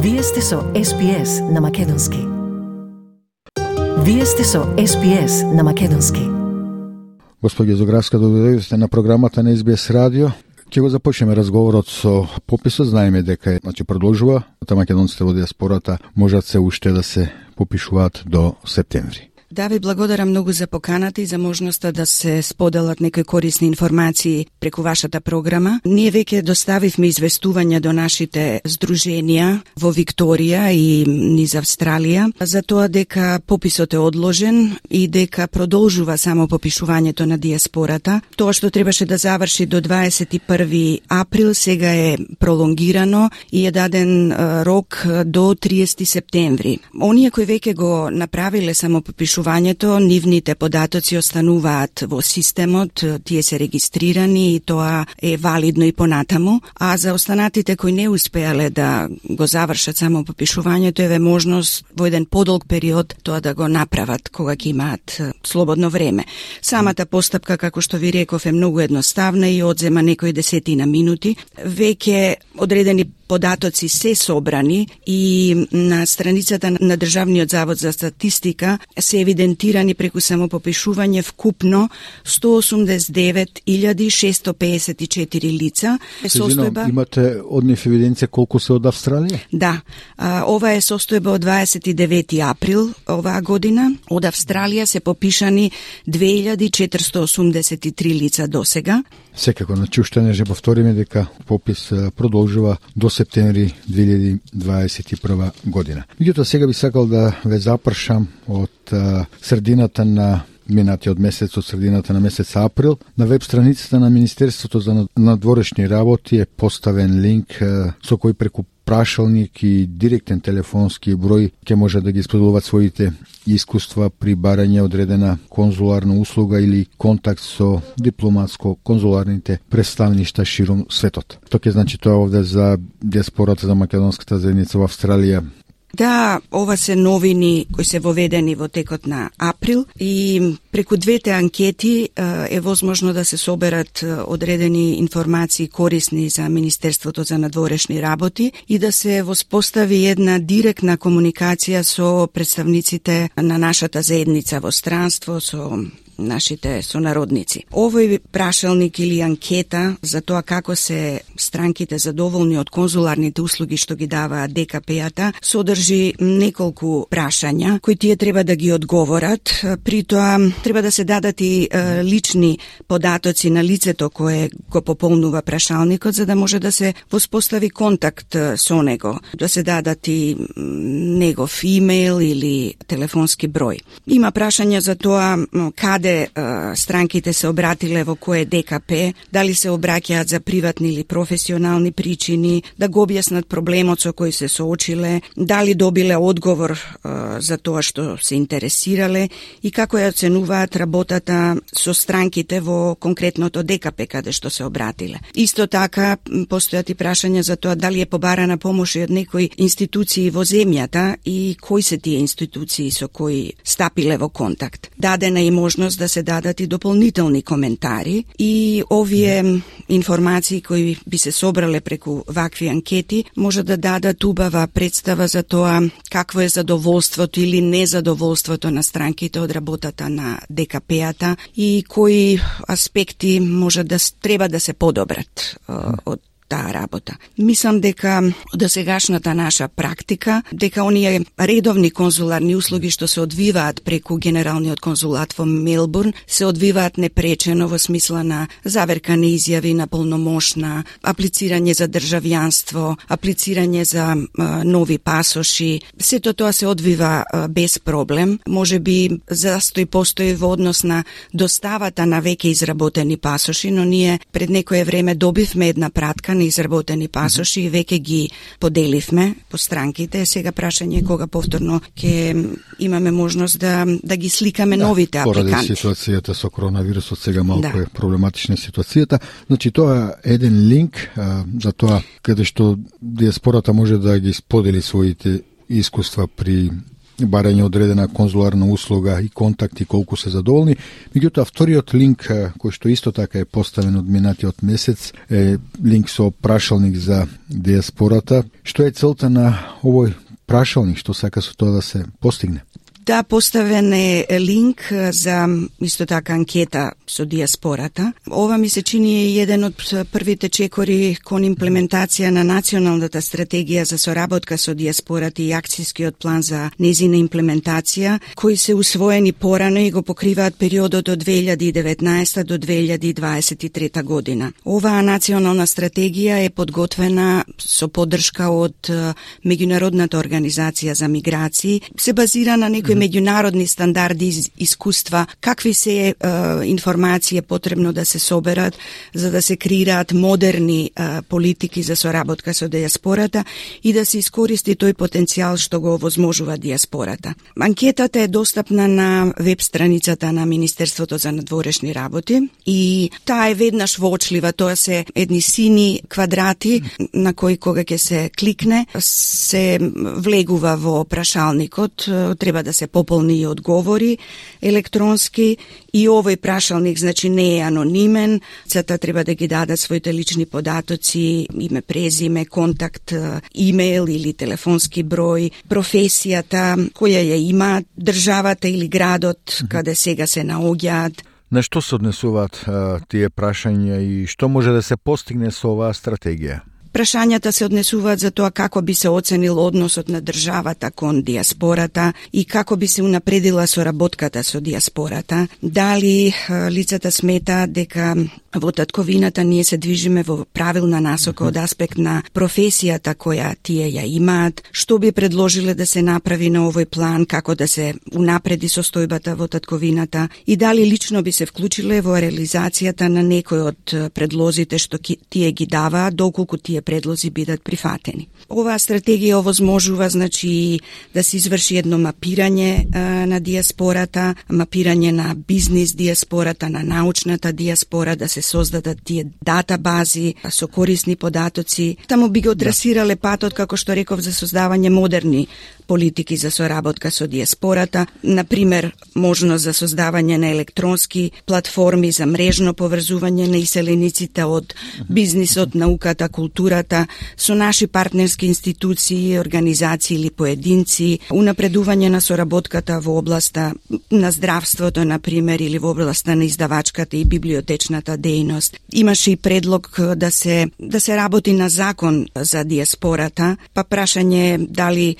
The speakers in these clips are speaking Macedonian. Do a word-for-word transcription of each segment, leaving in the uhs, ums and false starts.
Вие сте со Ес Би Ес на Македонски. Вие сте со Ес Би Ес на Македонски. Господи Зографска, добре на програмата на Ес Би Ес радио. Ќе го започнеме разговорот со пописот. Знаеме дека значи продолжува, та македонците во диаспората можат се уште да се попишуваат до септември. Да, ви благодарам многу за поканата и за можноста да се споделат некои корисни информации преку вашата програма. Ние веќе доставивме известувања до нашите здруженија во Викторија и низ Австралија за тоа дека пописот е одложен и дека продолжува само попишувањето на диаспората. Тоа што требаше да заврши до дваесет и први април сега е пролонгирано и е даден рок до триесети септември. Оние кои веќе го направиле само попишувањето, нивните податоци остануваат во системот, тие се регистрирани и тоа е валидно и понатаму, а за останатите кои не успеале да го завршат само попишувањето, еве можност во еден подолг период тоа да го направат кога ќе имаат слободно време. Самата постапка, како што ви реков, е многу едноставна и одзема некои десетина минути. Веќе одредени податоци се собрани и на страницата на Државниот завод за статистика се евидентирани преку самопопишување вкупно сто осумдесет и девет илјади шестоста пеесет и четири лица. Состојба... Имате од нив евиденција колку се од Австралија? Да, а, ова е состојба од дваесет и девети април оваа година. Од Австралија се попишани две илјади четиристотини осумдесет и три лица досега. Секако, значи уште не же повториме дека попис продолжува до септември две илјади дваесет и прва година. Меѓутоа сега би сакал да ве запршам од а, средината на минатиот месец, од средината на месец април. На веб страницата на Министерството за надворешни работи е поставен линк а, со кој преку прашалник и директен телефонски број ќе може да ги споделуваат своите искуства при барање одредена конзуларна услуга или контакт со дипломатско-конзуларните представништа ширум светот. Тоа ќе значи тоа овде за диаспората за македонската заедница во Австралија. Да, ова се новини кои се воведени во текот на април и преку двете анкети е возможно да се соберат одредени информации корисни за Министерството за надворешни работи и да се воспостави една директна комуникација со представниците на нашата заедница во странство, со нашите сонародници. Овој прашалник или анкета за тоа како се странките задоволни од конзуларните услуги што ги дава Д К П-та содржи неколку прашања кои тие треба да ги одговорат. При тоа треба да се дадат и е, лични податоци на лицето кое го пополнува прашалникот за да може да се воспостави контакт со него, да се дадат и негов имейл или телефонски број. Има прашања за тоа каде странките се обратиле во кое Д К П, дали се обраќаат за приватни или професионални причини, да го објаснат проблемот со кој се соочиле, дали добиле одговор е, за тоа што се интересирале и како ја оценуваат работата со странките во конкретното Д К П каде што се обратиле. Исто така постојат и прашања за тоа дали е побарана помош од некои институции во земјата и кои се тие институции со кои стапиле во контакт. Дадена е можност да се дадат и дополнителни коментари и овие информации кои би се собрале преку вакви анкети може да дадат убава представа за тоа какво е задоволството или незадоволството на странките од работата на Д К П-та и кои аспекти може да треба да се подобрат од таа работа. Мислам дека досегашната наша практика, дека оние редовни конзуларни услуги што се одвиваат преку Генералниот конзулат во Мелбурн се одвиваат непречено во смисла на заверка на изјави на полномошна, аплицирање за државјанство, аплицирање за а, нови пасоши. Сето тоа се одвива а, без проблем. Може би застој постои во однос на доставата на веќе изработени пасоши, но ние пред некое време добивме една пратка на изработени пасоши и веќе ги поделивме по странките. Сега прашање кога повторно ќе имаме можност да да ги сликаме да, новите апликанти. Поради ситуацијата со коронавирусот сега малку да. е проблематична ситуацијата. Значи тоа е еден линк а, за тоа каде што диаспората може да ги сподели своите искуства при барање одредена конзуларна услуга и контакти колку се задоволни. Меѓутоа, вториот линк, кој што исто така е поставен од минатиот месец, е линк со прашалник за диаспората. Што е целта на овој прашалник, што сака со тоа да се постигне? Да, поставен е линк за исто така анкета со диаспората. Ова ми се чини е еден од првите чекори кон имплементација на националната стратегија за соработка со диаспората и акцијскиот план за незина имплементација, кои се усвоени порано и го покриваат периодот од две илјади и деветнаесета до две илјади и дваесет и трета година. Оваа национална стратегија е подготвена со поддршка од Меѓународната организација за миграции, се базира на некои меѓународни стандарди и искуства, какви се е, информации е потребно да се соберат за да се креираат модерни е, политики за соработка со диаспората и да се искористи тој потенцијал што го овозможува диаспората. Анкетата е достапна на веб страницата на Министерството за надворешни работи и таа е веднаш воочлива, тоа се едни сини квадрати на кои кога ќе се кликне се влегува во прашалникот, треба да се пополни и одговори електронски и овој прашалник значи не е анонимен, цата треба да ги дадат своите лични податоци, име, презиме, контакт, имейл или телефонски број, професијата која ја има државата или градот mm-hmm. каде сега се наоѓаат. На што се однесуваат а, тие прашања и што може да се постигне со оваа стратегија? Прашањата се однесуваат за тоа како би се оценил односот на државата кон диаспората и како би се унапредила соработката со диаспората. Дали лицата сметаат дека во татковината ние се движиме во правилна насока од аспект на професијата која тие ја имаат, што би предложиле да се направи на овој план, како да се унапреди состојбата во татковината и дали лично би се вклучиле во реализацијата на некој од предлозите што тие ги даваат, доколку тие предлози бидат прифатени. Оваа стратегија овозможува значи да се изврши едно мапирање а, на диаспората, мапирање на бизнис диаспората, на научната диаспора, да се создадат тие датабази со корисни податоци. Таму би го трасирале патот, како што реков, за создавање модерни политики за соработка со диаспората, например, можност за создавање на електронски платформи за мрежно поврзување на иселениците од бизнисот, науката, културата, со наши партнерски институции, организации или поединци, унапредување на соработката во областа на здравството, например, или во областа на издавачката и библиотечната дејност. Имаше и предлог да се да се работи на закон за диаспората, па прашање дали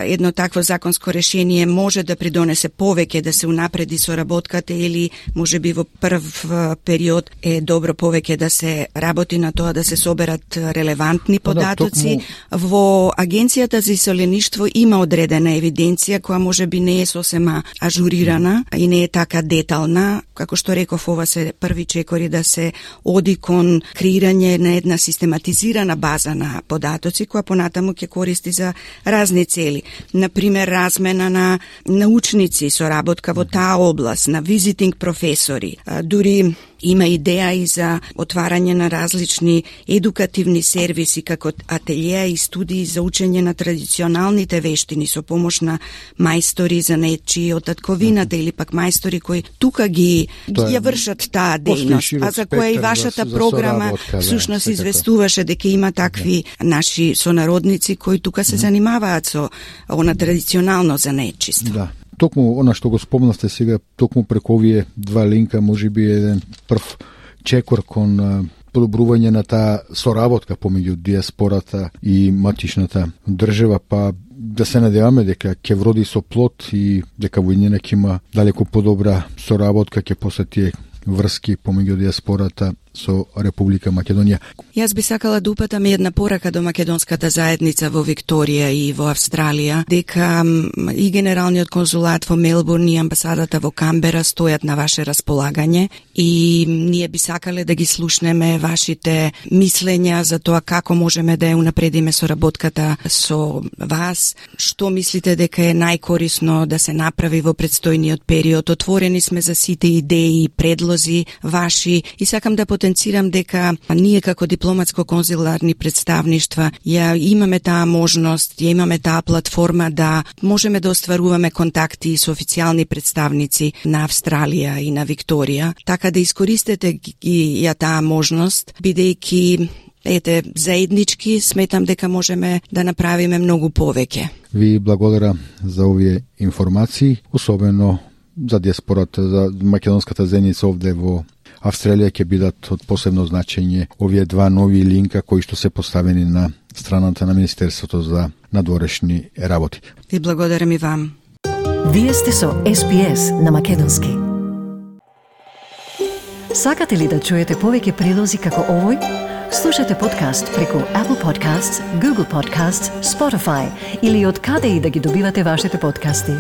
едно такво законско решение може да придонесе повеќе да се унапреди соработката или може би во прв период е добро повеќе да се работи на тоа да се соберат релевантни податоци. Во Агенцијата за иселеништво има одредена евиденција која може би не е сосема ажурирана и не е така детална. Како што реков, ова се први чекори да се оди кон креирање на една систематизирана база на податоци која понатаму ќе користи за разни цели. Например, размена на научници, соработка во таа област, на визитинг професори, дури има идеја и за отварање на различни едукативни сервиси како ателјеа и студии за учење на традиционалните вештини со помош на мајстори за нечии од татковината или пак мајстори кои тука ги ја вршат таа дејност, а за која и вашата за, програма за всушност да, известуваше дека има такви да. Наши сонародници кои тука се занимаваат со она традиционално занечиство. Да. Токму она што го спомнавте сега, токму преку овие два линка, може би еден прв чекор кон подобрување на таа соработка помеѓу диаспората и матичната држава, па да се надеваме дека ќе вроди со плод и дека во иднина ќе има далеку подобра соработка, ќе после тие врски помеѓу диаспората со Република Македонија. Јас би сакала да упатам една порака до македонската заедница во Викторија и во Австралија, дека и Генералниот конзулат во Мелбурн и амбасадата во Камбера стојат на ваше располагање и ние би сакале да ги слушнеме вашите мислења за тоа како можеме да ја унапредиме соработката со вас, што мислите дека е најкорисно да се направи во предстојниот период. Отворени сме за сите идеи и предлози ваши и сакам да потенцирам потенцирам дека ние како дипломатско-конзуларни представништва ја имаме таа можност, ја имаме таа платформа да можеме да остваруваме контакти со официјални представници на Австралија и на Викторија, така да искористете ги ја таа можност, бидејќи ете, заеднички сметам дека можеме да направиме многу повеќе. Ви благодарам за овие информации, особено за диаспората, за македонската заедница овде во Австралија ќе бидат од посебно значење овие два нови линка кои што се поставени на страната на Министерството за надворешни работи. Ви благодарам и вам. Вие сте со Ес Би Ес на македонски. Сакате ли да чуете повеќе прилози како овој? Слушате подкаст преку Apple Podcasts, Google Podcasts, Spotify или од каде и да ги добивате вашите подкасти.